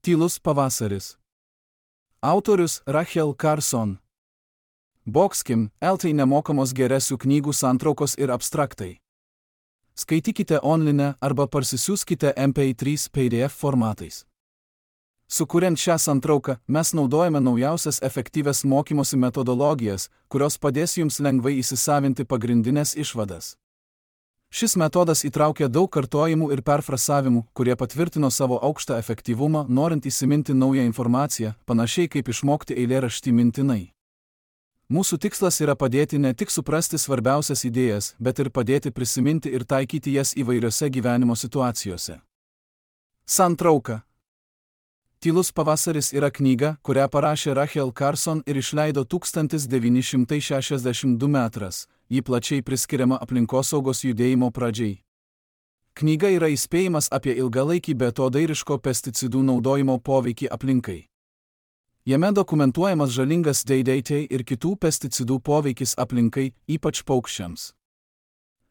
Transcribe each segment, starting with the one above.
Tylus pavasaris. Autorius Rachel Carson. Boxkim, LT nemokamos geresių knygų santraukos ir abstraktai. Skaitykite online arba parsisiųskite MP3 PDF formatais. Sukuriant šią santrauką, mes naudojame naujausias efektyvias mokymosi metodologijas, kurios padės jums lengvai įsisavinti pagrindinės išvadas. Šis metodas įtraukia daug kartojimų ir perfrasavimų, kurie patvirtino savo aukštą efektyvumą, norint įsiminti naują informaciją, panašiai kaip išmokti eilėraštį mintinai. Mūsų tikslas yra padėti ne tik suprasti svarbiausias idėjas, bet ir padėti prisiminti ir taikyti jas įvairiose gyvenimo situacijose. Santrauka. Tylus pavasaris yra knyga, kurią parašė Rachel Carson ir išleido 1962 metras. Ji plačiai priskiriama aplinkosaugos judėjimo pradžiai. Knyga yra įspėjimas apie ilgalaikį beatodairiško pesticidų naudojimo poveikį aplinkai. Jame dokumentuojamas žalingas DDT ir kitų pesticidų poveikis aplinkai, ypač paukščiams.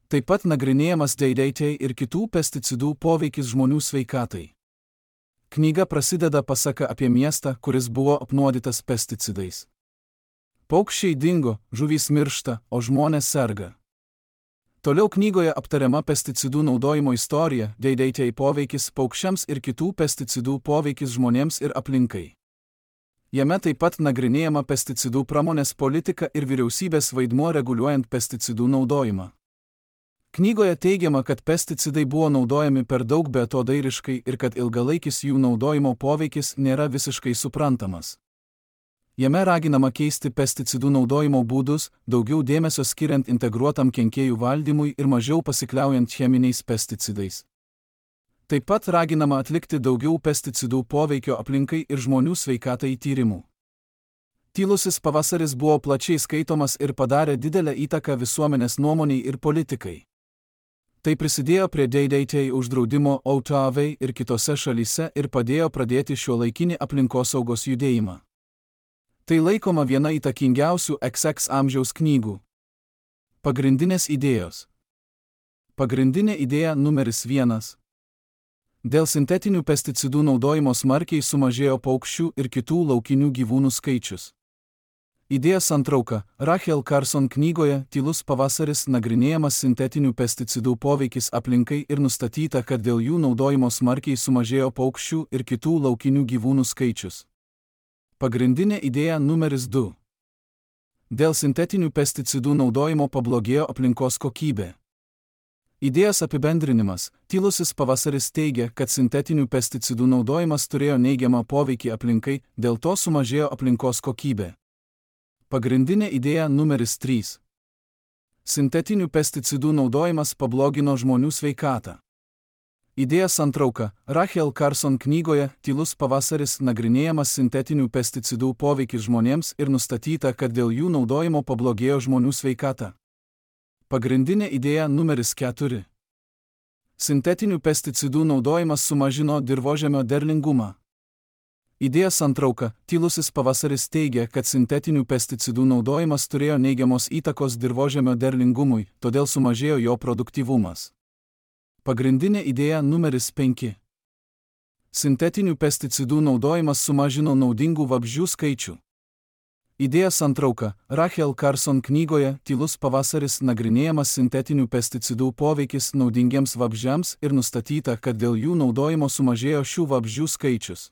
Taip pat nagrinėjamas DDT ir kitų pesticidų poveikis žmonių sveikatai. Knyga prasideda pasaka apie miestą, kuris buvo apnuodytas pesticidais. Paukščiai dingo, žuvys miršta, o žmonės serga. Toliau knygoje aptariama pesticidų naudojimo istorija, DDT poveikis paukščiams ir kitų pesticidų poveikis žmonėms ir aplinkai. Jame taip pat nagrinėjama pesticidų pramonės politika ir vyriausybės vaidmuo reguliuojant pesticidų naudojimą. Knygoje teigiama, kad pesticidai buvo naudojami per daug beatodairiškai ir kad ilgalaikis jų naudojimo poveikis nėra visiškai suprantamas. Jame raginama keisti pesticidų naudojimo būdus, daugiau dėmesio skiriant integruotam kenkėjų valdymui ir mažiau pasikliaujant cheminiais pesticidais. Taip pat raginama atlikti daugiau pesticidų poveikio aplinkai ir žmonių sveikatai tyrimų. Tylusis pavasaris buvo plačiai skaitomas ir padarė didelę įtaką visuomenės nuomoniai ir politikai. Tai prisidėjo prie DDT uždraudimo OTAV ir kitose šalyse ir padėjo pradėti šiuolaikinį aplinkosaugos judėjimą. Tai laikoma viena įtakingiausių XX amžiaus knygų. Pagrindinės idėjos. Pagrindinė idėja numeris 1. Dėl sintetinių pesticidų naudojimo smarkiai sumažėjo paukščių ir kitų laukinių gyvūnų skaičius. Idėja santrauka. Rachel Carson knygoje Tylus pavasaris nagrinėjamas sintetinių pesticidų poveikis aplinkai ir nustatyta, kad dėl jų naudojimo smarkiai sumažėjo paukščių ir kitų laukinių gyvūnų skaičius. Pagrindinė idėja numeris 2. Dėl sintetinių pesticidų naudojimo pablogėjo aplinkos kokybė. Idėjos apibendrinimas. Tylusis pavasaris teigia, kad sintetinių pesticidų naudojimas turėjo neigiamą poveikį aplinkai, dėl to sumažėjo aplinkos kokybė. Pagrindinė idėja numeris 3. Sintetinių pesticidų naudojimas pablogino žmonių sveikatą. Idėja santrauka. Rachel Carson knygoje Tylus pavasaris nagrinėjamas sintetinių pesticidų poveikis žmonėms ir nustatyta, kad dėl jų naudojimo pablogėjo žmonių sveikata. Pagrindinė idėja numeris 4. Sintetinių pesticidų naudojimas sumažino dirvožemio derlingumą. Idėja santrauka. Tylusis pavasaris teigia, kad sintetinių pesticidų naudojimas turėjo neigiamos įtakos dirvožemio derlingumui, todėl sumažėjo jo produktyvumas. Pagrindinė idėja numeris 5. Sintetinių pesticidų naudojimas sumažino naudingų vabzdžių skaičių. Idėja santrauka. Rachel Carson knygoje Tylus pavasaris nagrinėjamas sintetinių pesticidų poveikis naudingiems vabzdžiams ir nustatyta, kad dėl jų naudojimo sumažėjo šių vabzdžių skaičius.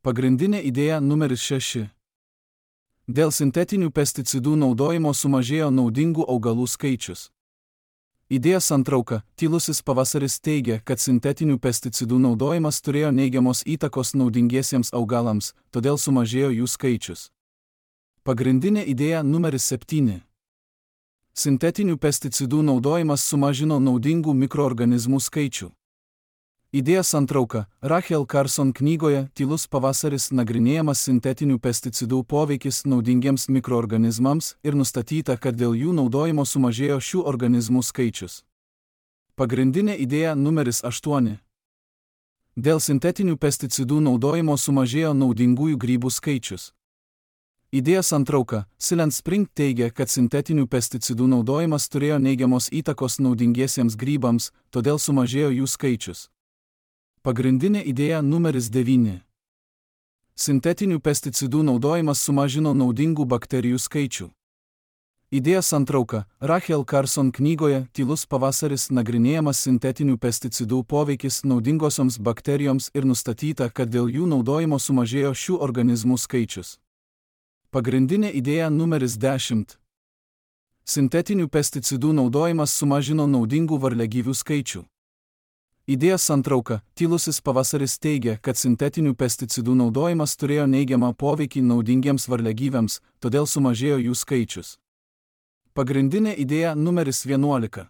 Pagrindinė idėja numeris 6. Dėl sintetinių pesticidų naudojimo sumažėjo naudingų augalų skaičius. Idėja santrauka. Tylusis pavasaris teigia, kad sintetinių pesticidų naudojimas turėjo neigiamos įtakos naudingiesiems augalams, todėl sumažėjo jų skaičius. Pagrindinė idėja numeris 7. Sintetinių pesticidų naudojimas sumažino naudingų mikroorganizmų skaičių. Idėja santrauka. Rachel Carson knygoje Tylus pavasaris nagrinėjamas sintetinių pesticidų poveikis naudingiems mikroorganizmams ir nustatyta, kad dėl jų naudojimo sumažėjo šių organizmų skaičius. Pagrindinė idėja numeris 8. Dėl sintetinių pesticidų naudojimo sumažėjo naudingųjų grybų skaičius. Idėja santrauka. Silent Spring teigia, kad sintetinių pesticidų naudojimas turėjo neigiamos įtakos naudingiesiems grybams, todėl sumažėjo jų skaičius. Pagrindinė idėja numeris 9. Sintetinių pesticidų naudojimas sumažino naudingų bakterijų skaičių. Idėja santrauka. Rachel Carson knygoje Tylus pavasaris nagrinėjamas sintetinių pesticidų poveikis naudingosioms bakterijoms ir nustatyta, kad dėl jų naudojimo sumažėjo šių organizmų skaičius. Pagrindinė idėja numeris 10. Sintetinių pesticidų naudojimas sumažino naudingų varliagyvių skaičių. Idėja santrauka. Tylusis pavasaris teigia, kad sintetinių pesticidų naudojimas turėjo neigiamą poveikį naudingiems varliagyviams, todėl sumažėjo jų skaičius. Pagrindinė idėja numeris 11.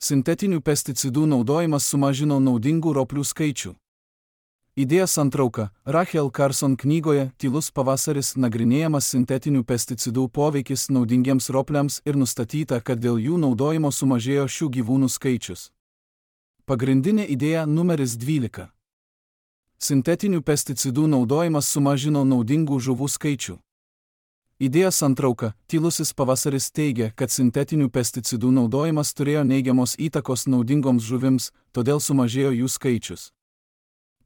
Sintetinių pesticidų naudojimas sumažino naudingų roplių skaičių. Idėja santrauka. Rachel Carson knygoje Tylus pavasaris nagrinėjamas sintetinių pesticidų poveikis naudingiems ropliams ir nustatyta, kad dėl jų naudojimo sumažėjo šių gyvūnų skaičius. Pagrindinė idėja numeris 12. Sintetinių pesticidų naudojimas sumažino naudingų žuvų skaičių. Idėja santrauka. Tylusis pavasaris teigia, kad sintetinių pesticidų naudojimas turėjo neigiamos įtakos naudingoms žuvims, todėl sumažėjo jų skaičius.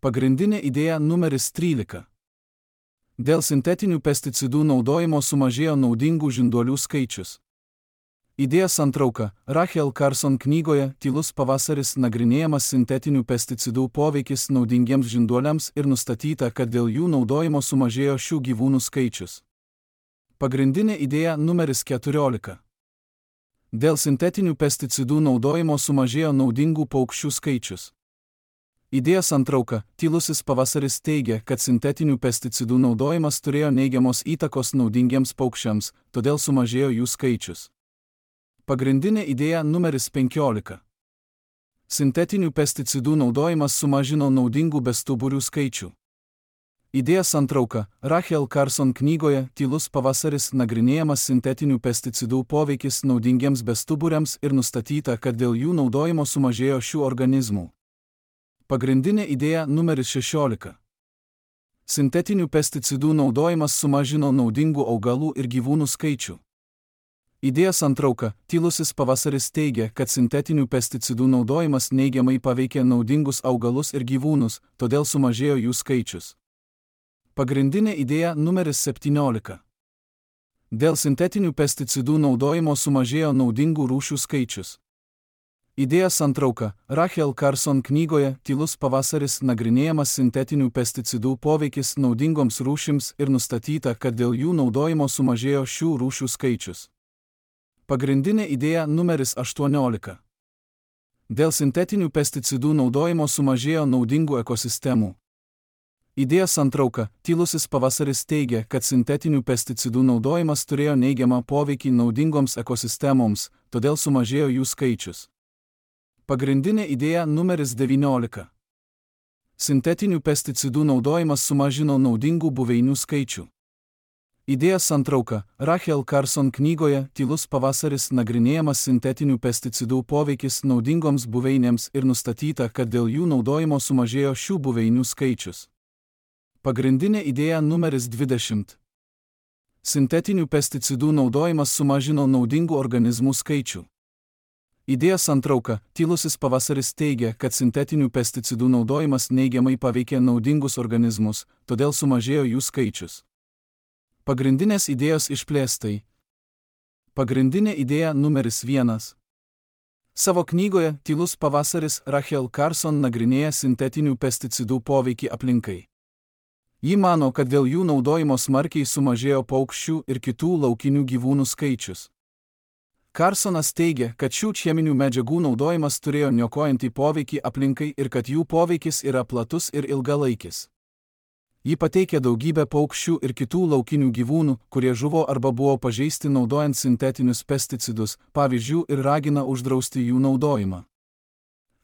Pagrindinė idėja numeris 13. Dėl sintetinių pesticidų naudojimo sumažėjo naudingų žinduolių skaičius. Idėja santrauka. Rachel Carson knygoje Tylus pavasaris nagrinėjamas sintetinių pesticidų poveikis naudingiems žinduoliams ir nustatyta, kad dėl jų naudojimo sumažėjo šių gyvūnų skaičius. Pagrindinė idėja numeris 14. Dėl sintetinių pesticidų naudojimo sumažėjo naudingų paukščių skaičius. Idėja santrauka. Tylusis pavasaris teigia, kad sintetinių pesticidų naudojimas turėjo neigiamos įtakos naudingiems paukščiams, todėl sumažėjo jų skaičius. Pagrindinė idėja numeris 15. Sintetinių pesticidų naudojimas sumažino naudingų bestuburių skaičių. Idėja santrauka. Rachel Carson knygoje Tylus pavasaris nagrinėjamas sintetinių pesticidų poveikis naudingiems bestuburiams ir nustatyta, kad dėl jų naudojimo sumažėjo šių organizmų. Pagrindinė idėja numeris 16. Sintetinių pesticidų naudojimas sumažino naudingų augalų ir gyvūnų skaičių. Idėja santrauka. Tylusis pavasaris teigia, kad sintetinių pesticidų naudojimas neigiamai paveikė naudingus augalus ir gyvūnus, todėl sumažėjo jų skaičius. Pagrindinė idėja numeris 17. Dėl sintetinių pesticidų naudojimo sumažėjo naudingų rūšių skaičius. Idėja santrauka. Rachel Carson knygoje Tylus pavasaris nagrinėjamas sintetinių pesticidų poveikis naudingoms rūšims ir nustatyta, kad dėl jų naudojimo sumažėjo šių rūšių skaičius. Pagrindinė idėja numeris 18. Dėl sintetinių pesticidų naudojimo sumažėjo naudingų ekosistemų. Idėja santrauka. Tylusis pavasaris teigia, kad sintetinių pesticidų naudojimas turėjo neigiamą poveikį naudingoms ekosistemoms, todėl sumažėjo jų skaičius. Pagrindinė idėja numeris 19. Sintetinių pesticidų naudojimas sumažino naudingų buveinių skaičių. Idėja santrauka. Rachel Carson knygoje Tylus pavasaris nagrinėjamas sintetinių pesticidų poveikis naudingoms buveinėms ir nustatyta, kad dėl jų naudojimo sumažėjo šių buveinių skaičius. Pagrindinė idėja numeris 20. Sintetinių pesticidų naudojimas sumažino naudingų organizmų skaičių. Idėja santrauka. Tylusis pavasaris teigia, kad sintetinių pesticidų naudojimas neigiamai paveikė naudingus organizmus, todėl sumažėjo jų skaičius. Pagrindinės idėjos išplėstai. Pagrindinė idėja numeris 1. Savo knygoje Tylus pavasaris Rachel Carson nagrinėja sintetinių pesticidų poveikį aplinkai. Ji mano, kad dėl jų naudojimo smarkiai sumažėjo paukščių ir kitų laukinių gyvūnų skaičius. Carsonas teigia, kad šių cheminių medžiagų naudojimas turėjo niokojantį poveikį aplinkai ir kad jų poveikis yra platus ir ilgalaikis. Ji pateikia daugybę paukščių ir kitų laukinių gyvūnų, kurie žuvo arba buvo pažeisti naudojant sintetinius pesticidus, pavyzdžių, ir ragina uždrausti jų naudojimą.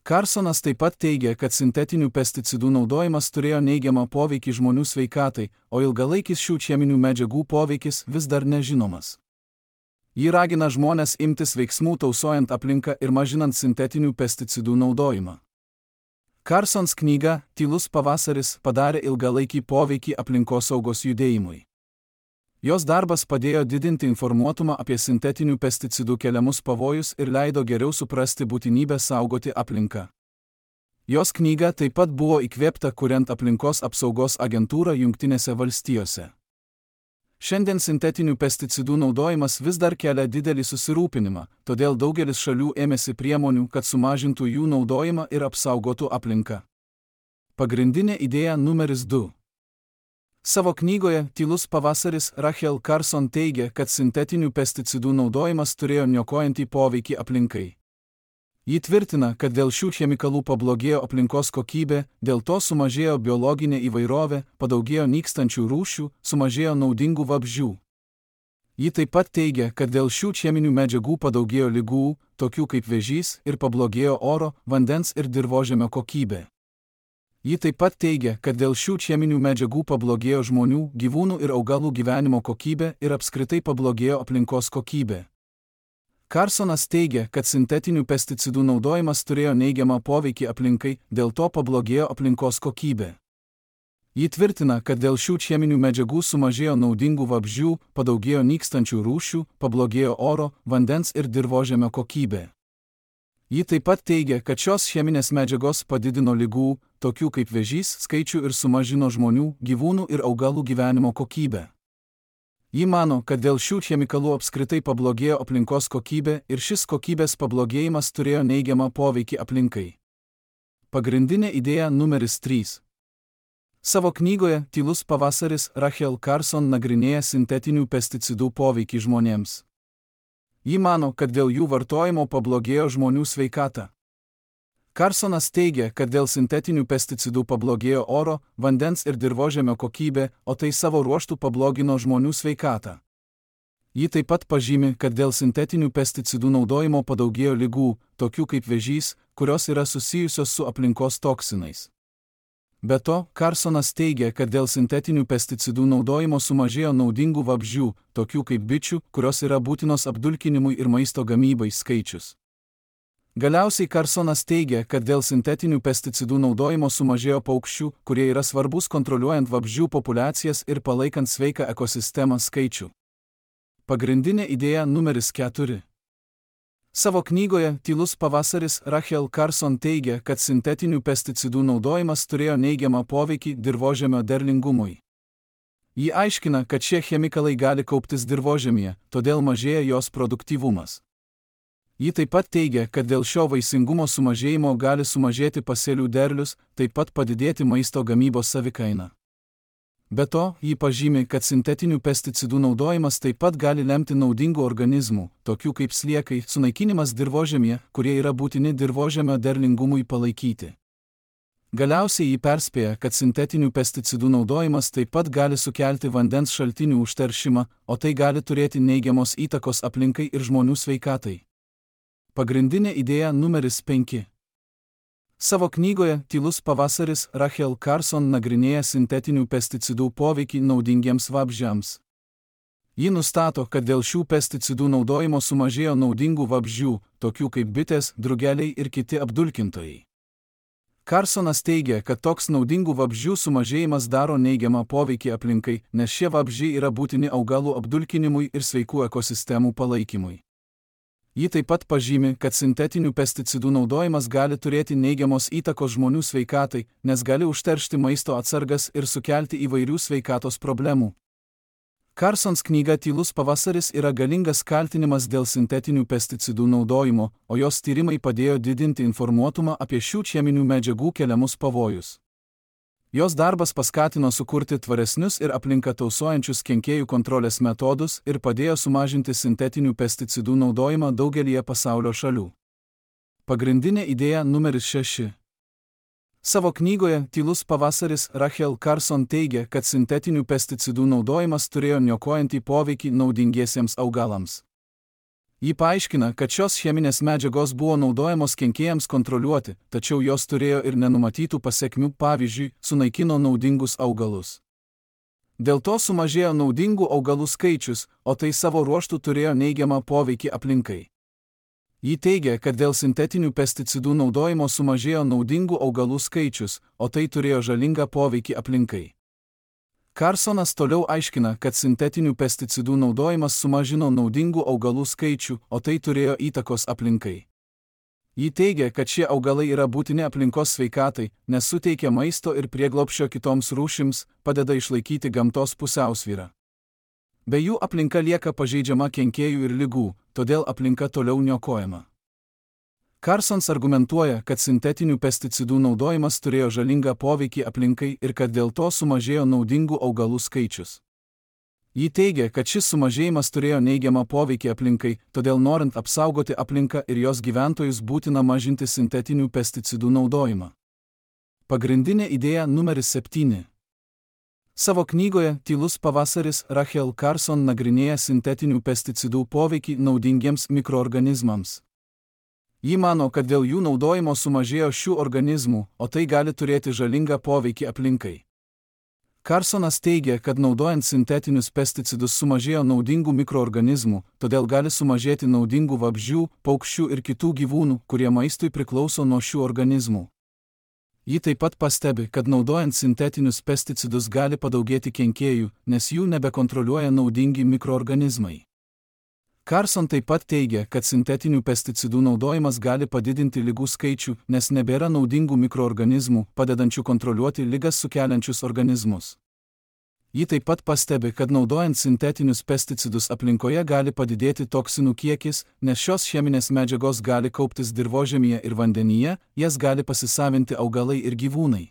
Carsonas taip pat teigia, kad sintetinių pesticidų naudojimas turėjo neigiamą poveikį žmonių sveikatai, o ilgalaikis šių cheminių medžiagų poveikis vis dar nežinomas. Ji ragina žmones imtis veiksmų tausojant aplinką ir mažinant sintetinių pesticidų naudojimą. Carsons knyga Tylus pavasaris padarė ilgalaikį poveikį aplinkosaugos judėjimui. Jos darbas padėjo didinti informuotumą apie sintetinių pesticidų keliamus pavojus ir leido geriau suprasti būtinybę saugoti aplinką. Jos knyga taip pat buvo įkvėpta kuriant aplinkos apsaugos agentūrą Jungtinėse valstijose. Šiandien sintetinių pesticidų naudojimas vis dar kelia didelį susirūpinimą, todėl daugelis šalių ėmėsi priemonių, kad sumažintų jų naudojimą ir apsaugotų aplinką. Pagrindinė idėja numeris 2. Savo knygoje Tylus pavasaris Rachel Carson teigia, kad sintetinių pesticidų naudojimas turėjo niokojantį poveikį aplinkai. Ji tvirtina, kad dėl šių chemikalų pablogėjo aplinkos kokybė, dėl to sumažėjo biologinė įvairovė, padaugėjo nykstančių rūšių, sumažėjo naudingų vabzdžių. Ji taip pat teigia, kad dėl šių cheminių medžiagų padaugėjo ligų, tokių kaip vėžys, ir pablogėjo oro, vandens ir dirvožemio kokybė. Ji taip pat teigia, kad dėl šių cheminių medžiagų pablogėjo žmonių, gyvūnų ir augalų gyvenimo kokybė ir apskritai pablogėjo aplinkos kokybė. Carsonas teigia, kad sintetinių pesticidų naudojimas turėjo neigiamą poveikį aplinkai, dėl to pablogėjo aplinkos kokybė. Ji tvirtina, kad dėl šių cheminių medžiagų sumažėjo naudingų vabzdžių, padaugėjo nykstančių rūšių, pablogėjo oro, vandens ir dirvožemio kokybė. Ji taip pat teigia, kad šios cheminės medžiagos padidino ligų, tokių kaip vėžys, skaičių ir sumažino žmonių, gyvūnų ir augalų gyvenimo kokybę. Ji mano, kad dėl šių chemikalų apskritai pablogėjo aplinkos kokybė ir šis kokybės pablogėjimas turėjo neigiamą poveikį aplinkai. Pagrindinė idėja numeris 3. Savo knygoje Tylus pavasaris Rachel Carson nagrinėja sintetinių pesticidų poveikį žmonėms. Ji mano, kad dėl jų vartojimo pablogėjo žmonių sveikata. Carsonas teigia, kad dėl sintetinių pesticidų pablogėjo oro, vandens ir dirvožemio kokybė, o tai savo ruožtu pablogino žmonių sveikatą. Ji taip pat pažymi, kad dėl sintetinių pesticidų naudojimo padaugėjo ligų, tokių kaip vėžys, kurios yra susijusios su aplinkos toksinais. Be to, Carsonas teigia, kad dėl sintetinių pesticidų naudojimo sumažėjo naudingų vabzdžių, tokių kaip bičių, kurios yra būtinos apdulkinimui ir maisto gamybai skaičius. Galiausiai Carsonas teigia, kad dėl sintetinių pesticidų naudojimo sumažėjo paukščių, kurie yra svarbus kontroliuojant vabzdžių populiacijas ir palaikant sveiką ekosistemą skaičių. Pagrindinė idėja numeris 4. Savo knygoje Tylus pavasaris Rachel Carson teigia, kad sintetinių pesticidų naudojimas turėjo neigiamą poveikį dirvožemio derlingumui. Ji aiškina, kad šie chemikalai gali kauptis dirvožemyje, todėl mažėja jos produktyvumas. Ji taip pat teigia, kad dėl šio vaisingumo sumažėjimo gali sumažėti pasėlių derlius, taip pat padidėti maisto gamybos savikaina. Be to, ji pažymi, kad sintetinių pesticidų naudojimas taip pat gali lemti naudingų organizmų, tokių kaip sliekai, sunaikinimas dirvožemyje, kurie yra būtini dirvožemio derlingumui palaikyti. Galiausiai ji perspėja, kad sintetinių pesticidų naudojimas taip pat gali sukelti vandens šaltinių užteršimą, o tai gali turėti neigiamos įtakos aplinkai ir žmonių sveikatai. Pagrindinė idėja numeris 5. Savo knygoje Tylus pavasaris Rachel Carson nagrinėja sintetinių pesticidų poveikį naudingiems vabzdžiams. Ji nustato, kad dėl šių pesticidų naudojimo sumažėjo naudingų vabzdžių, tokių kaip bitės, drugeliai ir kiti apdulkintojai. Carsonas teigia, kad toks naudingų vabzdžių sumažėjimas daro neigiamą poveikį aplinkai, nes šie vabzdžiai yra būtini augalų apdulkinimui ir sveikų ekosistemų palaikymui. Ji taip pat pažymi, kad sintetinių pesticidų naudojimas gali turėti neigiamos įtakos žmonių sveikatai, nes gali užteršti maisto atsargas ir sukelti įvairių sveikatos problemų. Carsons knyga Tylus pavasaris yra galingas kaltinimas dėl sintetinių pesticidų naudojimo, o jos tyrimai padėjo didinti informuotumą apie šių cheminių medžiagų keliamus pavojus. Jos darbas paskatino sukurti tvaresnius ir aplinką tausojančius kenkėjų kontrolės metodus ir padėjo sumažinti sintetinių pesticidų naudojimą daugelyje pasaulio šalių. Pagrindinė idėja numeris 6. Savo knygoje Tylus pavasaris Rachel Carson teigia, kad sintetinių pesticidų naudojimas turėjo niokojantį poveikį naudingiesiems augalams. Ji paaiškina, kad šios cheminės medžiagos buvo naudojamos kenkėjams kontroliuoti, tačiau jos turėjo ir nenumatytų pasekmių, pavyzdžiui, sunaikino naudingus augalus. Dėl to sumažėjo naudingų augalų skaičius, o tai savo ruožtu turėjo neigiamą poveikį aplinkai. Ji teigia, kad dėl sintetinių pesticidų naudojimo sumažėjo naudingų augalų skaičius, o tai turėjo žalingą poveikį aplinkai. Carsonas toliau aiškina, kad sintetinių pesticidų naudojimas sumažino naudingų augalų skaičių, o tai turėjo įtakos aplinkai. Ji teigia, kad šie augalai yra būtini aplinkos sveikatai, nes suteikia maisto ir prieglobsčio kitoms rūšims, padeda išlaikyti gamtos pusiausvyrą. Be jų aplinka lieka pažeidžiama kenkėjų ir ligų, todėl aplinka toliau niokojama. Carsons argumentuoja, kad sintetinių pesticidų naudojimas turėjo žalingą poveikį aplinkai ir kad dėl to sumažėjo naudingų augalų skaičius. Ji teigia, kad šis sumažėjimas turėjo neigiamą poveikį aplinkai, todėl norint apsaugoti aplinką ir jos gyventojus būtina mažinti sintetinių pesticidų naudojimą. Pagrindinė idėja numeris 7. Savo knygoje Tylus pavasaris Rachel Carson nagrinėja sintetinių pesticidų poveikį naudingiems mikroorganizmams. Ji mano, kad dėl jų naudojimo sumažėjo šių organizmų, o tai gali turėti žalingą poveikį aplinkai. Carsonas teigia, kad naudojant sintetinius pesticidus sumažėjo naudingų mikroorganizmų, todėl gali sumažėti naudingų vabzdžių, paukščių ir kitų gyvūnų, kurie maistui priklauso nuo šių organizmų. Ji taip pat pastebi, kad naudojant sintetinius pesticidus gali padaugėti kenkėjų, nes jų nebekontroliuoja naudingi mikroorganizmai. Carson taip pat teigia, kad sintetinių pesticidų naudojimas gali padidinti ligų skaičių, nes nebėra naudingų mikroorganizmų, padedančių kontroliuoti ligas sukeliančius organizmus. Ji taip pat pastebi, kad naudojant sintetinius pesticidus aplinkoje gali padidėti toksinų kiekis, nes šios cheminės medžiagos gali kauptis dirvožemyje ir vandenyje, jas gali pasisavinti augalai ir gyvūnai.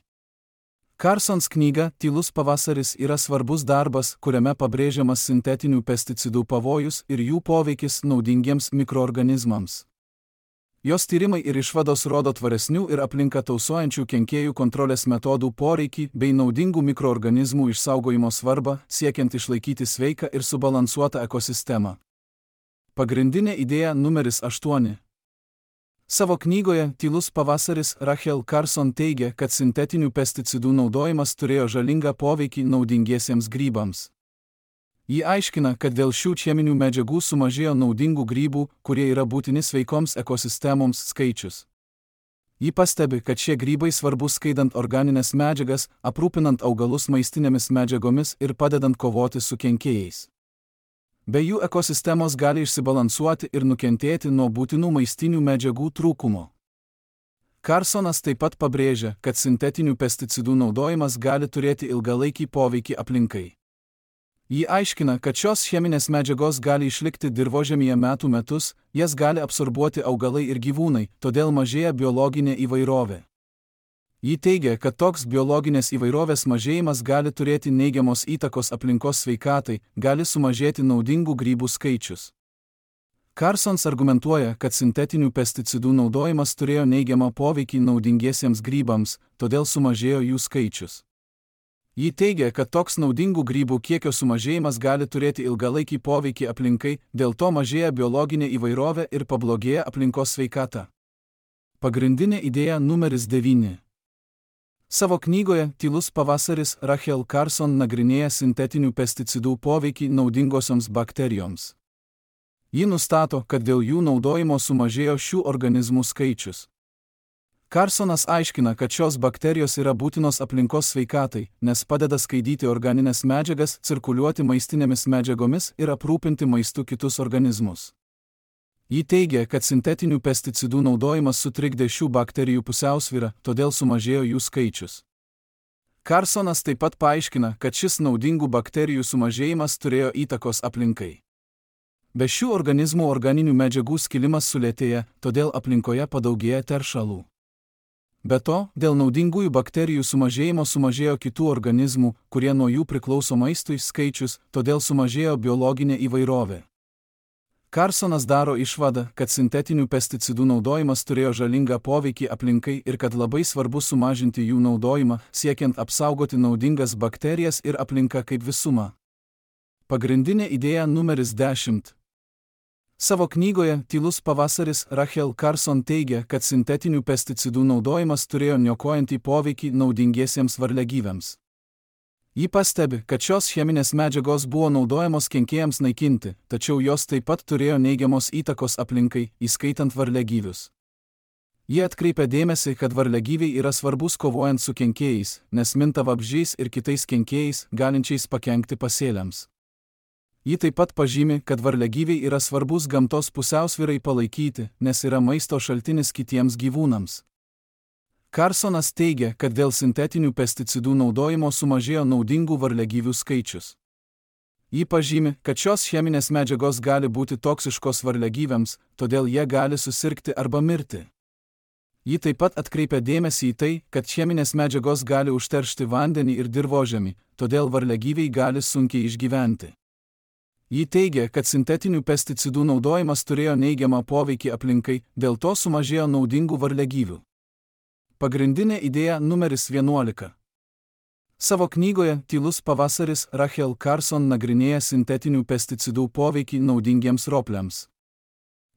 Carsons knyga Tylus pavasaris yra svarbus darbas, kuriame pabrėžiamas sintetinių pesticidų pavojus ir jų poveikis naudingiems mikroorganizmams. Jos tyrimai ir išvados rodo tvaresnių ir aplinką tausojančių kenkėjų kontrolės metodų poreikį bei naudingų mikroorganizmų išsaugojimo svarbą, siekiant išlaikyti sveiką ir subalansuotą ekosistemą. Pagrindinė idėja numeris 8. Savo knygoje Tylus pavasaris Rachel Carson teigia, kad sintetinių pesticidų naudojimas turėjo žalingą poveikį naudingiesiems grybams. Ji aiškina, kad dėl šių cheminių medžiagų sumažėjo naudingų grybų, kurie yra būtini sveikoms ekosistemoms skaičius. Ji pastebi, kad šie grybai svarbus skaidant organines medžiagas, aprūpinant augalus maistinėmis medžiagomis ir padedant kovoti su kenkėjais. Be jų ekosistemos gali išsibalansuoti ir nukentėti nuo būtinų maistinių medžiagų trūkumo. Carsonas taip pat pabrėžia, kad sintetinių pesticidų naudojimas gali turėti ilgalaikį poveikį aplinkai. Ji aiškina, kad šios cheminės medžiagos gali išlikti dirvožemyje metų metus, jas gali absorbuoti augalai ir gyvūnai, todėl mažėja biologinė įvairovė. Ji teigia, kad toks biologinės įvairovės mažėjimas gali turėti neigiamos įtakos aplinkos sveikatai, gali sumažėti naudingų grybų skaičius. Carsons argumentuoja, kad sintetinių pesticidų naudojimas turėjo neigiamą poveikį naudingiesiems grybams, todėl sumažėjo jų skaičius. Ji teigia, kad toks naudingų grybų kiekio sumažėjimas gali turėti ilgalaikį poveikį aplinkai, dėl to mažėja biologinė įvairovė ir pablogėja aplinkos sveikata. Pagrindinė idėja numeris 9. Savo knygoje Tylus pavasaris Rachel Carson nagrinėja sintetinių pesticidų poveikį naudingosioms bakterijoms. Ji nustato, kad dėl jų naudojimo sumažėjo šių organizmų skaičius. Carsonas aiškina, kad šios bakterijos yra būtinos aplinkos sveikatai, nes padeda skaidyti organines medžiagas, cirkuliuoti maistinėmis medžiagomis ir aprūpinti maistu kitus organizmus. Ji teigia, kad sintetinių pesticidų naudojimas sutrikdė šių bakterijų pusiausvyrą, todėl sumažėjo jų skaičius. Carsonas taip pat paaiškina, kad šis naudingų bakterijų sumažėjimas turėjo įtakos aplinkai. Be šių organizmų organinių medžiagų skilimas sulėtėja, todėl aplinkoje padaugėja teršalų. Be to, dėl naudingųjų bakterijų sumažėjimo sumažėjo kitų organizmų, kurie nuo jų priklauso maistui skaičius, todėl sumažėjo biologinė įvairovė. Carsonas daro išvadą, kad sintetinių pesticidų naudojimas turėjo žalingą poveikį aplinkai ir kad labai svarbu sumažinti jų naudojimą, siekiant apsaugoti naudingas bakterijas ir aplinką kaip visumą. Pagrindinė idėja numeris 10. Savo knygoje Tylus pavasaris Rachel Carson teigia, kad sintetinių pesticidų naudojimas turėjo niokojantį poveikį naudingiesiems varliagyviams. Ji pastebi, kad šios cheminės medžiagos buvo naudojamos kenkėjams naikinti, tačiau jos taip pat turėjo neigiamos įtakos aplinkai, įskaitant varliagyvius. Ji atkreipia dėmesį, kad varliagyviai yra svarbus kovojant su kenkėjais, nes minta vabzdžiais ir kitais kenkėjais, galinčiais pakenkti pasėliams. Ji taip pat pažymi, kad varliagyviai yra svarbus gamtos pusiausvyrai palaikyti, nes yra maisto šaltinis kitiems gyvūnams. Carsonas teigia, kad dėl sintetinių pesticidų naudojimo sumažėjo naudingų varliagyvių skaičius. Ji pažymi, kad šios cheminės medžiagos gali būti toksiškos varliagyviams, todėl jie gali susirgti arba mirti. Ji taip pat atkreipia dėmesį į tai, kad cheminės medžiagos gali užteršti vandenį ir dirvožemį, todėl varliagyviai gali sunkiai išgyventi. Ji teigia, kad sintetinių pesticidų naudojimas turėjo neigiamą poveikį aplinkai, dėl to sumažėjo naudingų varliagyvių. Pagrindinė idėja numeris 11. Savo knygoje Tylus pavasaris Rachel Carson nagrinėja sintetinių pesticidų poveikį naudingiems ropliams.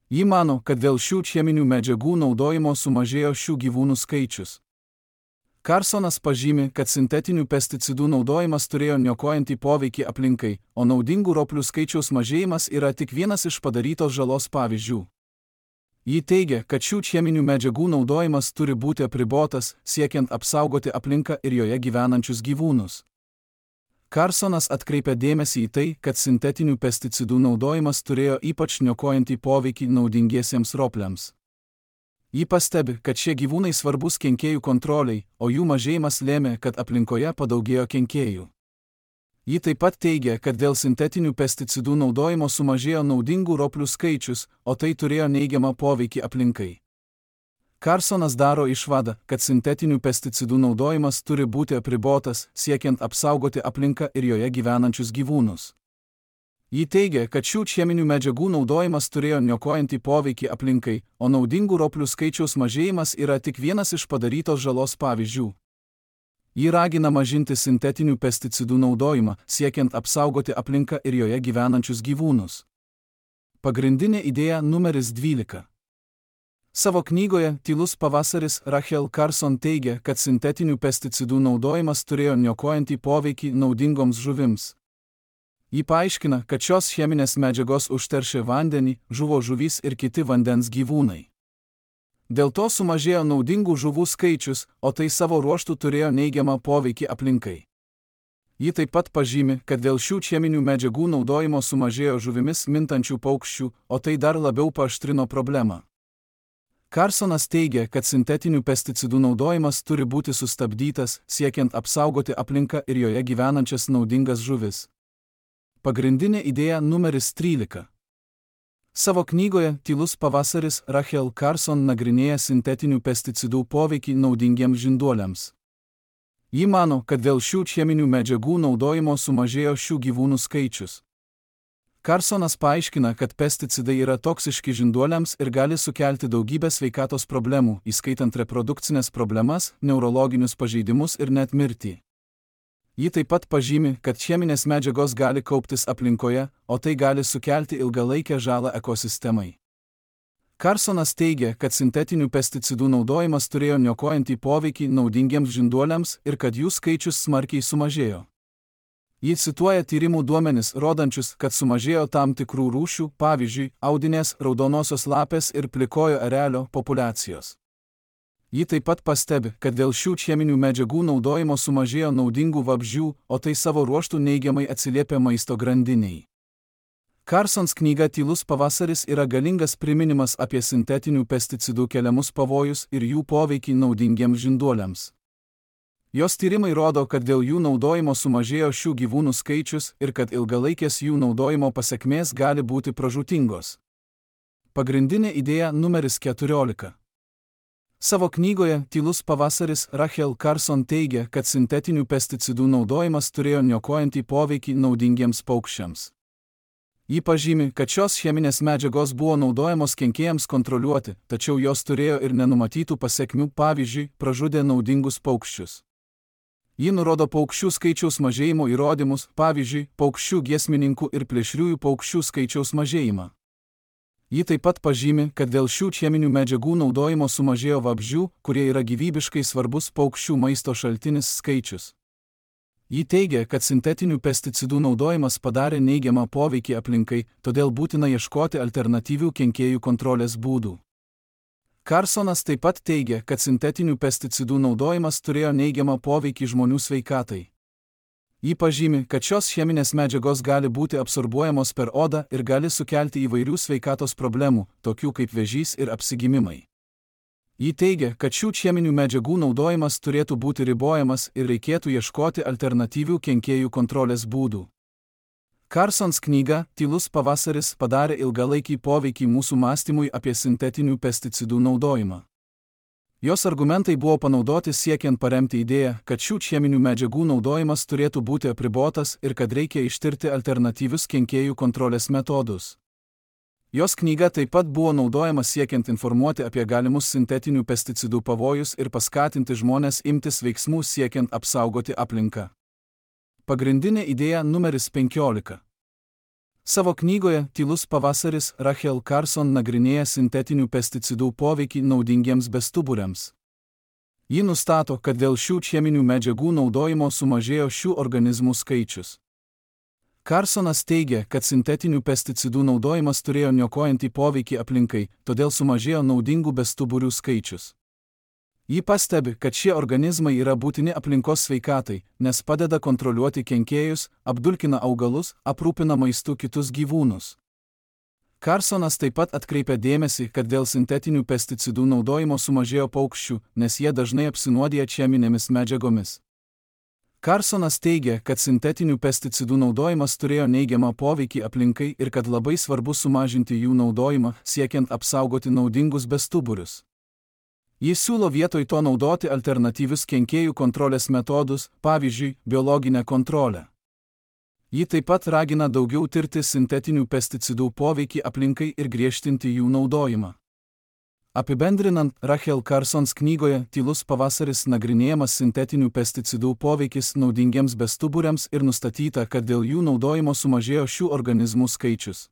Ji mano, kad dėl šių cheminių medžiagų naudojimo sumažėjo šių gyvūnų skaičius. Carsonas pažymi, kad sintetinių pesticidų naudojimas turėjo niokojantį poveikį aplinkai, o naudingų roplių skaičiaus mažėjimas yra tik vienas iš padarytos žalos pavyzdžių. Ji teigia, kad šių cheminių medžiagų naudojimas turi būti apribotas, siekiant apsaugoti aplinką ir joje gyvenančius gyvūnus. Carsonas atkreipia dėmesį į tai, kad sintetinių pesticidų naudojimas turėjo ypač niokojantį poveikį naudingiesiems ropliams. Ji pastebi, kad šie gyvūnai svarbus kenkėjų kontroliai, o jų mažėjimas lėmė, kad aplinkoje padaugėjo kenkėjų. Ji taip pat teigia, kad dėl sintetinių pesticidų naudojimo sumažėjo naudingų roplių skaičius, o tai turėjo neigiamą poveikį aplinkai. Carsonas daro išvadą, kad sintetinių pesticidų naudojimas turi būti apribotas, siekiant apsaugoti aplinką ir joje gyvenančius gyvūnus. Ji teigia, kad šių cheminių medžiagų naudojimas turėjo niokojantį poveikį aplinkai, o naudingų roplių skaičiaus mažėjimas yra tik vienas iš padarytos žalos pavyzdžių. Ji ragina mažinti sintetinių pesticidų naudojimą, siekiant apsaugoti aplinką ir joje gyvenančius gyvūnus. Pagrindinė idėja numeris 12. Savo knygoje Tylus pavasaris Rachel Carson teigia, kad sintetinių pesticidų naudojimas turėjo niokojantį poveikį naudingoms žuvims. Ji paaiškina, kad šios cheminės medžiagos užteršė vandenį, žuvo žuvys ir kiti vandens gyvūnai. Dėl to sumažėjo naudingų žuvų skaičius, o tai savo ruožtu turėjo neigiamą poveikį aplinkai. Ji taip pat pažymi, kad dėl šių cheminių medžiagų naudojimo sumažėjo žuvimis mintančių paukščių, o tai dar labiau paaštrino problemą. Carsonas teigia, kad sintetinių pesticidų naudojimas turi būti sustabdytas, siekiant apsaugoti aplinką ir joje gyvenančias naudingas žuvis. Pagrindinė idėja numeris 13. Savo knygoje Tylus pavasaris Rachel Carson nagrinėja sintetinių pesticidų poveikį naudingiems žinduoliams. Ji mano, kad dėl šių cheminių medžiagų naudojimo sumažėjo šių gyvūnų skaičius. Carsonas paaiškina, kad pesticidai yra toksiški žinduoliams ir gali sukelti daugybę sveikatos problemų, įskaitant reprodukcinės problemas, neurologinius pažeidimus ir net mirtį. Ji taip pat pažymi, kad cheminės medžiagos gali kauptis aplinkoje, o tai gali sukelti ilgalaikę žalą ekosistemai. Carsonas teigia, kad sintetinių pesticidų naudojimas turėjo niokojantį poveikį naudingiems žinduoliams ir kad jų skaičius smarkiai sumažėjo. Ji cituoja tyrimų duomenis, rodančius, kad sumažėjo tam tikrų rūšių, pavyzdžiui, audinės, raudonosios lapės ir plikojo erelio populiacijos. Ji taip pat pastebi, kad dėl šių cheminių medžiagų naudojimo sumažėjo naudingų vabzdžių, o tai savo ruožtu neigiamai atsiliepia maisto grandinei. Carsons knyga Tylus pavasaris yra galingas priminimas apie sintetinių pesticidų keliamus pavojus ir jų poveikį naudingiems žinduoliams. Jos tyrimai rodo, kad dėl jų naudojimo sumažėjo šių gyvūnų skaičius ir kad ilgalaikės jų naudojimo pasekmės gali būti pražūtingos. Pagrindinė idėja numeris 14. Savo knygoje Tylus pavasaris Rachel Carson teigia, kad sintetinių pesticidų naudojimas turėjo niokojantį poveikį naudingiems paukščiams. Ji pažymi, kad šios cheminės medžiagos buvo naudojamos kenkėjams kontroliuoti, tačiau jos turėjo ir nenumatytų pasekmių, pavyzdžiui, pražudė naudingus paukščius. Ji nurodo paukščių skaičiaus mažėjimo įrodymus, pavyzdžiui, paukščių giesmininkų ir plėšriųjų paukščių skaičiaus mažėjimą. Ji taip pat pažymi, kad dėl šių cheminių medžiagų naudojimo sumažėjo vabzdžių, kurie yra gyvybiškai svarbus paukščių maisto šaltinis skaičius. Ji teigia, kad sintetinių pesticidų naudojimas padarė neigiamą poveikį aplinkai, todėl būtina ieškoti alternatyvių kenkėjų kontrolės būdų. Carsonas taip pat teigia, kad sintetinių pesticidų naudojimas turėjo neigiamą poveikį žmonių sveikatai. Ji pažymi, kad šios cheminės medžiagos gali būti absorbuojamos per odą ir gali sukelti įvairių sveikatos problemų, tokių kaip vėžys ir apsigimimai. Ji teigia, kad šių cheminių medžiagų naudojimas turėtų būti ribojamas ir reikėtų ieškoti alternatyvių kenkėjų kontrolės būdų. Carsons knyga Tylus pavasaris padarė ilgalaikį poveikį mūsų mąstymui apie sintetinių pesticidų naudojimą. Jos argumentai buvo panaudoti siekiant paremti idėją, kad šių cheminių medžiagų naudojimas turėtų būti apribotas ir kad reikia ištirti alternatyvius kenkėjų kontrolės metodus. Jos knyga taip pat buvo naudojama siekiant informuoti apie galimus sintetinių pesticidų pavojus ir paskatinti žmones imtis veiksmų siekiant apsaugoti aplinką. Pagrindinė idėja numeris 15. Savo knygoje Tylus pavasaris Rachel Carson nagrinėja sintetinių pesticidų poveikį naudingiems bestuburiams. Ji nustato, kad dėl šių cheminių medžiagų naudojimo sumažėjo šių organizmų skaičius. Carsonas teigia, kad sintetinių pesticidų naudojimas turėjo niokojantį poveikį aplinkai, todėl sumažėjo naudingų bestuburių skaičius. Ji pastebi, kad šie organizmai yra būtini aplinkos sveikatai, nes padeda kontroliuoti kenkėjus, apdulkina augalus, aprūpina maistu kitus gyvūnus. Carsonas taip pat atkreipia dėmesį, kad dėl sintetinių pesticidų naudojimo sumažėjo paukščių, nes jie dažnai apsinuodija cheminėmis medžiagomis. Carsonas teigia, kad sintetinių pesticidų naudojimas turėjo neigiamą poveikį aplinkai ir kad labai svarbu sumažinti jų naudojimą, siekiant apsaugoti naudingus bestuburius. Jis siūlo vietoj to naudoti alternatyvius kenkėjų kontrolės metodus, pavyzdžiui, biologinę kontrolę. Ji taip pat ragina daugiau tirti sintetinių pesticidų poveikį aplinkai ir griežtinti jų naudojimą. Apibendrinant, Rachel Carsons knygoje Tylus pavasaris nagrinėjamas sintetinių pesticidų poveikis naudingiems bestuburiams ir nustatyta, kad dėl jų naudojimo sumažėjo šių organizmų skaičius.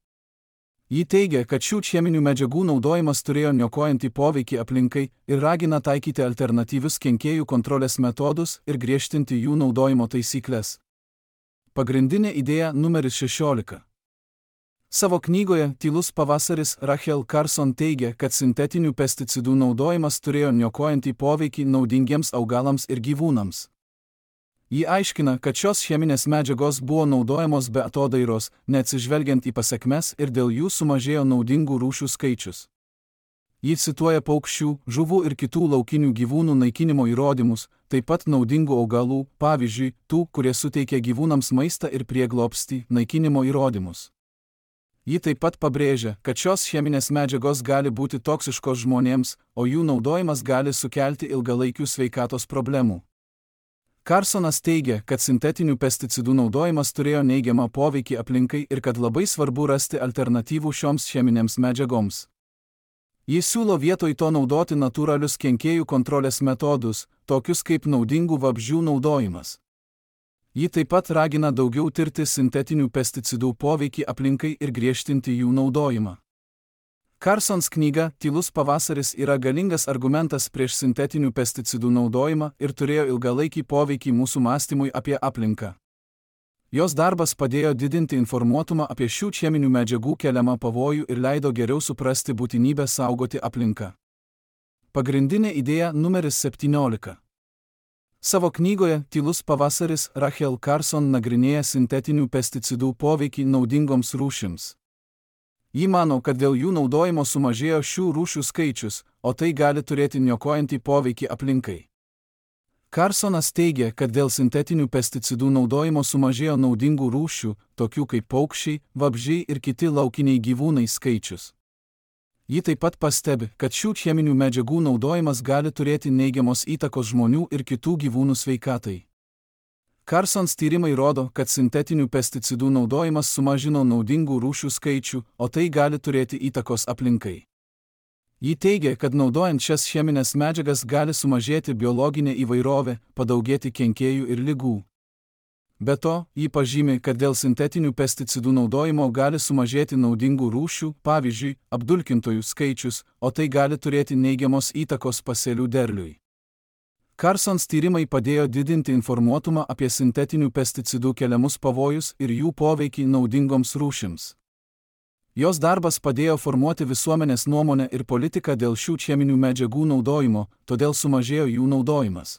Ji teigia, kad šių cheminių medžiagų naudojimas turėjo niokojantį poveikį aplinkai ir ragina taikyti alternatyvius kenkėjų kontrolės metodus ir griežtinti jų naudojimo taisyklės. Pagrindinė idėja numeris 16. Savo knygoje Tylus pavasaris Rachel Carson teigia, kad sintetinių pesticidų naudojimas turėjo niokojantį poveikį naudingiems augalams ir gyvūnams. Ji aiškina, kad šios cheminės medžiagos buvo naudojamos be atodairos, neatsižvelgiant į pasekmes ir dėl jų sumažėjo naudingų rūšių skaičius. Ji cituoja paukščių, žuvų ir kitų laukinių gyvūnų naikinimo įrodymus, taip pat naudingų augalų, pavyzdžiui, tų, kurie suteikia gyvūnams maistą ir prieglobstį, naikinimo įrodymus. Ji taip pat pabrėžia, kad šios cheminės medžiagos gali būti toksiškos žmonėms, o jų naudojimas gali sukelti ilgalaikių sveikatos problemų. Carsonas teigia, kad sintetinių pesticidų naudojimas turėjo neigiamą poveikį aplinkai ir kad labai svarbu rasti alternatyvų šioms cheminėms medžiagoms. Jis siūlo vietoj to naudoti natūralius kenkėjų kontrolės metodus, tokius kaip naudingų vabzdžių naudojimas. Ji taip pat ragina daugiau tirti sintetinių pesticidų poveikį aplinkai ir griežtinti jų naudojimą. Carsons knyga Tylus pavasaris yra galingas argumentas prieš sintetinių pesticidų naudojimą ir turėjo ilgalaikį poveikį mūsų mąstymui apie aplinką. Jos darbas padėjo didinti informuotumą apie šių cheminių medžiagų keliamą pavojų ir leido geriau suprasti būtinybę saugoti aplinką. Pagrindinė idėja numeris 17. Savo knygoje Tylus pavasaris Rachel Carson nagrinėja sintetinių pesticidų poveikį naudingoms rūšims. Ji mano, kad dėl jų naudojimo sumažėjo šių rūšių skaičius, o tai gali turėti niokojantį poveikį aplinkai. Carsonas teigia, kad dėl sintetinių pesticidų naudojimo sumažėjo naudingų rūšių, tokių kaip paukščiai, vabzdžiai ir kiti laukiniai gyvūnai skaičius. Ji taip pat pastebi, kad šių cheminių medžiagų naudojimas gali turėti neigiamos įtakos žmonių ir kitų gyvūnų sveikatai. Carsons tyrimai rodo, kad sintetinių pesticidų naudojimas sumažino naudingų rūšių skaičių, o tai gali turėti įtakos aplinkai. Ji teigia, kad naudojant šias cheminės medžiagas gali sumažėti biologinė įvairovė, padaugėti kenkėjų ir ligų. Be to, ji pažymi, kad dėl sintetinių pesticidų naudojimo gali sumažėti naudingų rūšių, pavyzdžiui, apdulkintojų skaičius, o tai gali turėti neigiamos įtakos pasėlių derliui. Carsons tyrimai padėjo didinti informuotumą apie sintetinių pesticidų keliamus pavojus ir jų poveikį naudingoms rūšims. Jos darbas padėjo formuoti visuomenės nuomonę ir politiką dėl šių cheminių medžiagų naudojimo, todėl sumažėjo jų naudojimas.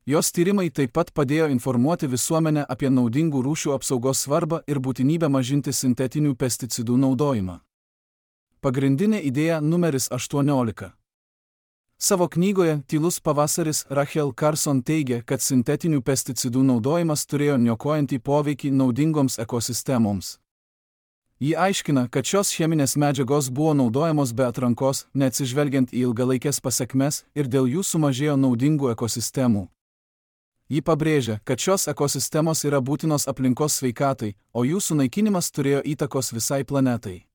Jos tyrimai taip pat padėjo informuoti visuomenę apie naudingų rūšių apsaugos svarbą ir būtinybę mažinti sintetinių pesticidų naudojimą. Pagrindinė idėja numeris 18. Savo knygoje Tylus pavasaris Rachel Carson teigia, kad sintetinių pesticidų naudojimas turėjo niokojantį poveikį naudingoms ekosistemoms. Ji aiškina, kad šios cheminės medžiagos buvo naudojamos be atrankos, neatsižvelgiant į ilgalaikės pasekmes ir dėl jų sumažėjo naudingų ekosistemų. Ji pabrėžia, kad šios ekosistemos yra būtinos aplinkos sveikatai, o jų sunaikinimas turėjo įtakos visai planetai.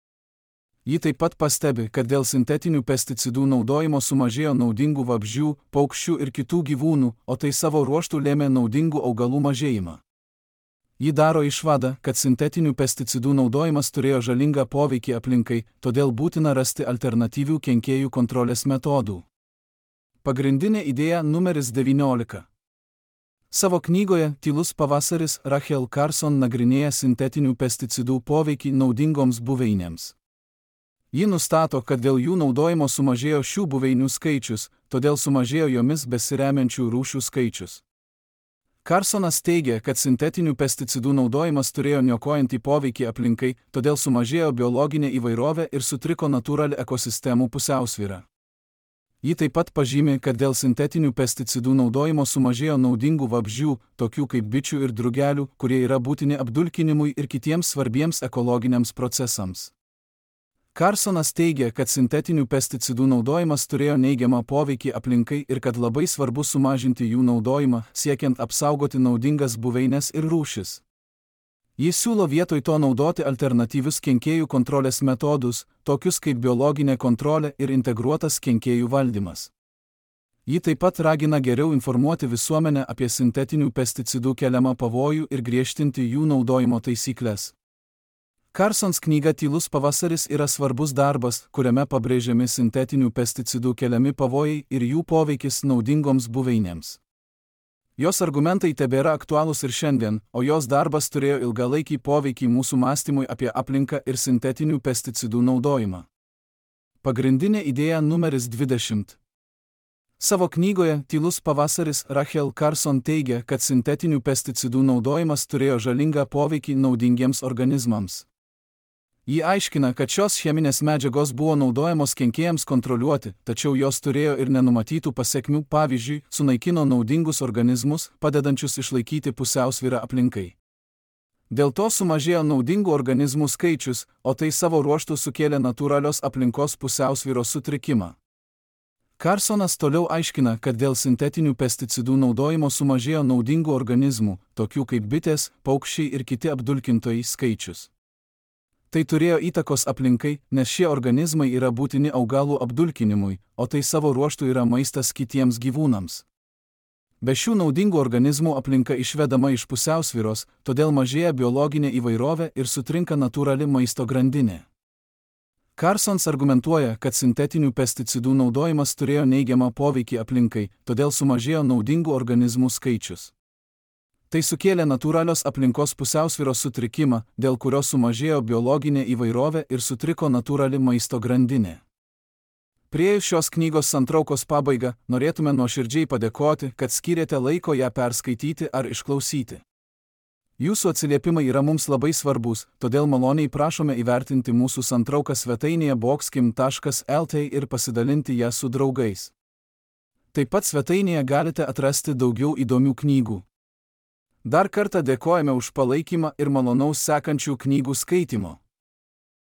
Ji taip pat pastebi, kad dėl sintetinių pesticidų naudojimo sumažėjo naudingų vabzdžių, paukščių ir kitų gyvūnų, o tai savo ruožtu lėmė naudingų augalų mažėjimą. Ji daro išvadą, kad sintetinių pesticidų naudojimas turėjo žalingą poveikį aplinkai, todėl būtina rasti alternatyvių kenkėjų kontrolės metodų. Pagrindinė idėja numeris 19. Savo knygoje Tylus pavasaris Rachel Carson nagrinėja sintetinių pesticidų poveikį naudingoms buveinėms. Ji nustato, kad dėl jų naudojimo sumažėjo šių buveinių skaičius, todėl sumažėjo jomis besiremiančių rūšių skaičius. Carsonas teigia, kad sintetinių pesticidų naudojimas turėjo niokojantį poveikį aplinkai, todėl sumažėjo biologinė įvairovė ir sutriko natūrali ekosistemų pusiausvyra. Ji taip pat pažymi, kad dėl sintetinių pesticidų naudojimo sumažėjo naudingų vabzdžių, tokių kaip bičių ir drugelių, kurie yra būtini apdulkinimui ir kitiems svarbiems ekologiniams procesams. Carsonas teigia, kad sintetinių pesticidų naudojimas turėjo neigiamą poveikį aplinkai ir kad labai svarbu sumažinti jų naudojimą, siekiant apsaugoti naudingas buveines ir rūšis. Jis siūlo vietoj to naudoti alternatyvius kenkėjų kontrolės metodus, tokius kaip biologinė kontrolė ir integruotas kenkėjų valdymas. Ji taip pat ragina geriau informuoti visuomenę apie sintetinių pesticidų keliamą pavojų ir griežtinti jų naudojimo taisyklės. Carsons knyga Tylus pavasaris yra svarbus darbas, kuriame pabrėžiami sintetinių pesticidų keliami pavojai ir jų poveikis naudingoms buveinėms. Jos argumentai tebėra aktualūs ir šiandien, o jos darbas turėjo ilgalaikį poveikį mūsų mąstymui apie aplinką ir sintetinių pesticidų naudojimą. Pagrindinė idėja numeris 20. Savo knygoje Tylus pavasaris Rachel Carson teigia, kad sintetinių pesticidų naudojimas turėjo žalingą poveikį naudingiems organizmams. Ji aiškina, kad šios cheminės medžiagos buvo naudojamos kenkėjams kontroliuoti, tačiau jos turėjo ir nenumatytų pasekmių, pavyzdžiui, sunaikino naudingus organizmus, padedančius išlaikyti pusiausvyrą aplinkai. Dėl to sumažėjo naudingų organizmų skaičius, o tai savo ruožtu sukėlė natūralios aplinkos pusiausvyros sutrikimą. Carsonas toliau aiškina, kad dėl sintetinių pesticidų naudojimo sumažėjo naudingų organizmų, tokių kaip bitės, paukščiai ir kiti apdulkintojai skaičius. Tai turėjo įtakos aplinkai, nes šie organizmai yra būtini augalų apdulkinimui, o tai savo ruožtu yra maistas kitiems gyvūnams. Be šių naudingų organizmų aplinka išvedama iš pusiausvyros, todėl mažėja biologinė įvairovė ir sutrinka natūrali maisto grandinė. Carsons argumentuoja, kad sintetinių pesticidų naudojimas turėjo neigiamą poveikį aplinkai, todėl sumažėjo naudingų organizmų skaičius. Tai sukėlė natūralios aplinkos pusiausvyros sutrikimą, dėl kurio sumažėjo biologinė įvairovė ir sutriko natūrali maisto grandinė. Priėjus šios knygos santraukos pabaigą, norėtume nuoširdžiai padėkoti, kad skyrėte laiko ją perskaityti ar išklausyti. Jūsų atsiliepimai yra mums labai svarbus, todėl maloniai prašome įvertinti mūsų santrauką svetainėje boxkim.lt ir pasidalinti ją su draugais. Taip pat svetainėje galite atrasti daugiau įdomių knygų. Dar kartą dėkojame už palaikymą ir malonaus sekančių knygų skaitymo.